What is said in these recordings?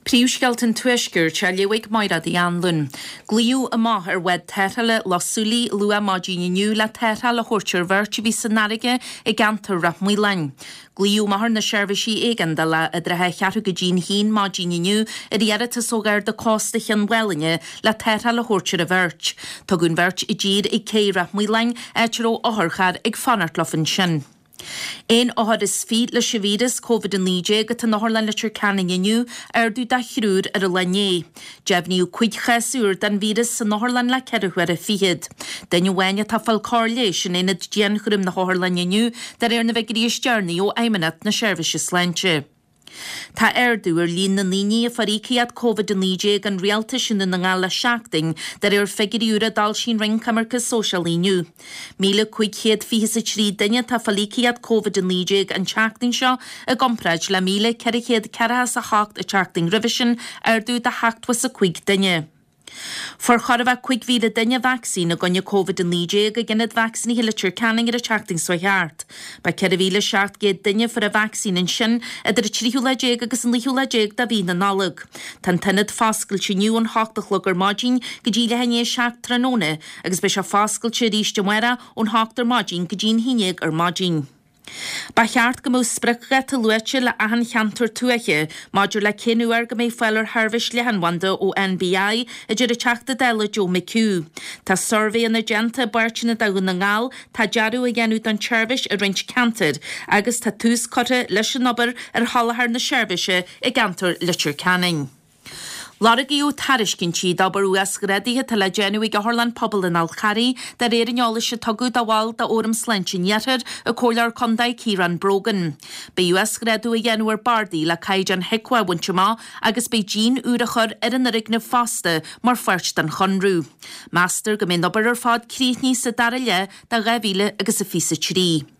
Príomhscéalta an Tuaiscirt á léamh ag Mairéad Uí Anluain. Glaodh amach ar bhád tarrthála Loch Súilí luath maidin inniu le tarrtháil a thabhairt ar bheirt a bhí san fharraige i gceantar Ráth Maoláin. Glaodh amach ar na seirbhísí éigeandála idir a cheathrú go dtí'n haon maidin inniu ar iarratas ó Gharda Cósta Chionn Mhálanna le tarrtháil a thabhairt ar an bheirt. Tugadh an bheirt i dtír ag cé Ráth Maoláin, áit a raibh otharcharr ag fanacht leo ansin. Aon othar is fiche leis an víreas Covid-19 atá in Otharlann Leitir Ceanainn inniu, ardú de thriúr ar an lá inné. Deimhníodh 5 chás úr den víreas san otharlann le ceithre huaire fichead. Duine amháin atá ag fáil cóir leighis in aonad dianchúraim na hotharlainne inniu, de réir na bhfigiúirí is deireanaí ó Fheidhmeannacht na Seirbhíse Sláinte. Tá ardú ar líon na ndaoine a fuair íocaíocht Covid-19 an rialtais i nDún na nGall le seachtain, de réir figiúirí úra a d'fhoilsigh an Roinn Coimirce Sóisialaí inniu. 1,523 duine atá ag fáil íocaíocht Covid-19 an tseachtain seo i gcomparáid le 1,448 an tseachtain roimhe sin, ardú de 75 duine. Fuair chóir a bheith 5,000 duine vacsaín i gcoinne Covid-19 ag Ionad Vacsaínithe Leitir Ceanainn ar an tseachtain seo thart. Ba 4,700 duine a fuair an vacsaín ansin idir an tríú lá déag agus an naoú lá déag de mhí na Nollag. Tá an t-ionad foscailte inniu ón hocht a chlog ar maidin go dtí leath i ndiaidh a 7 tráthnóna agus beidh sé foscailte arís amárach ón hocht ar maidin go dtí'n haon déag ar maidin. Ba cheart go mbeadh spriocdháta luaite le achan cheantar tuaithe maidir le cén uair go mbeidh fáil ar sheirbhís leathanbhanda ó NBI, a deir an Teachta Dála Joe McHugh. Tá suirbhéanna déanta i bpáirteanna de Dhún na nGall, tá dearadh á dhéanamh don tseirbhís i roinnt ceantar agus tá tús curtha leis an obair ar sholáthar na seirbhíse i gceantar Leitir Ceanainn. Lorgaíodh tairiscintí d'obair uasghrádaithe atá le déanamh ag Otharlann Pobail an Fhál Charraigh, de réir an eolais a tugadh do bhall d'Fhóram Sláinte an Iarthair, an Comhairleoir Contae Ciarán Brogan. Beidh uasghrádú á dhéanamh ar bardaí le caighdeán HIQA a bhaint amach agus beidh díon úr á chur ar an fhoirgneamh fosta mar pháirt den chonradh. Meastar go mbeidh an obair ar fad críochnaithe sa dara leath de 2023.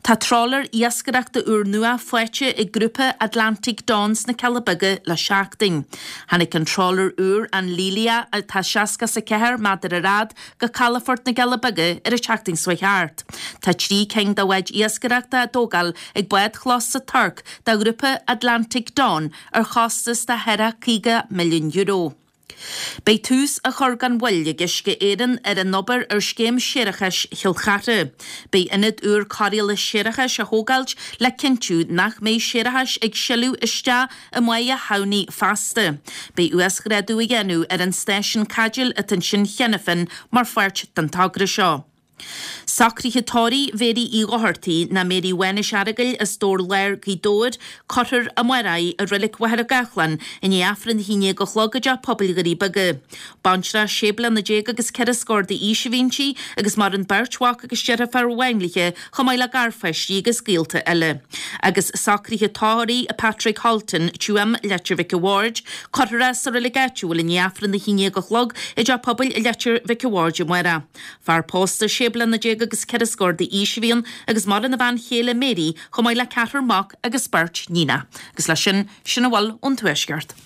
Tá trawler iascaireachta úrnua faighte ag grúpa Atlantic Dawn sna Cealla Beaga le seachtain. Tháinig an trawler úr, an Lelia, atá 64 méadar ar fhad, go calafort na gCealla Beaga ar an tseachtain seo thart. Tá 3 cinn de bháid iascaireachta á dtógáil ag bádchlós sa Tuirc do ghrúpa Atlantic Dawn ar chostas de thar €50 milliún. Beidh tús á chur gan mhoill ag Uisce Éireann ar an obair ar scéim séarachais Chill Chartha. Beidh ionad úr cóireála séarachais á thógáilt le cinntiú nach mbeidh séarachais ag sileadh isteach i mBáighe Thamhnaigh feasta. Beidh uasghrádú á dhéanamh ar an stáisiún caidéil atá ansin cheana féin mar pháirt den togra seo. Socruithe tórraimh Mhéirí Uí Dhochartaigh, ná Mary Mhánais Earagail as Dobhar Láir, Gaoth Dobhair, cuirfear amárach í i Reilig Mhachaire Gathlán i ndiaidh Aifreann a haon déag a chlog i dTeach Pobail Dhoirí Beaga. Baintreach sé bliana déag agus ceithre scór d'aois a bhí inti agus maireann beirt mhac agus deirfiúr amháin léi chomh maith le garpháistí agus gaolta eile. Agus socruithe tórraimh Patrick Holton, Tuaim, Leitir Mhic a' Bhaird, cuirfear é sa reilig áitiúil i ndiaidh Aifreann a haon déag a chlog i dTeach Pobail Leitir Mhic a' Bhaird amárach. Fear pósta sé bliana déag agus ceithre scór d'aois a bhí ann agus maireann a bhean chéile Mary chomh maith le ceathrar mac agus beirt níonach. Agus leis sin, sin a bhfuil ón Tuaisceart.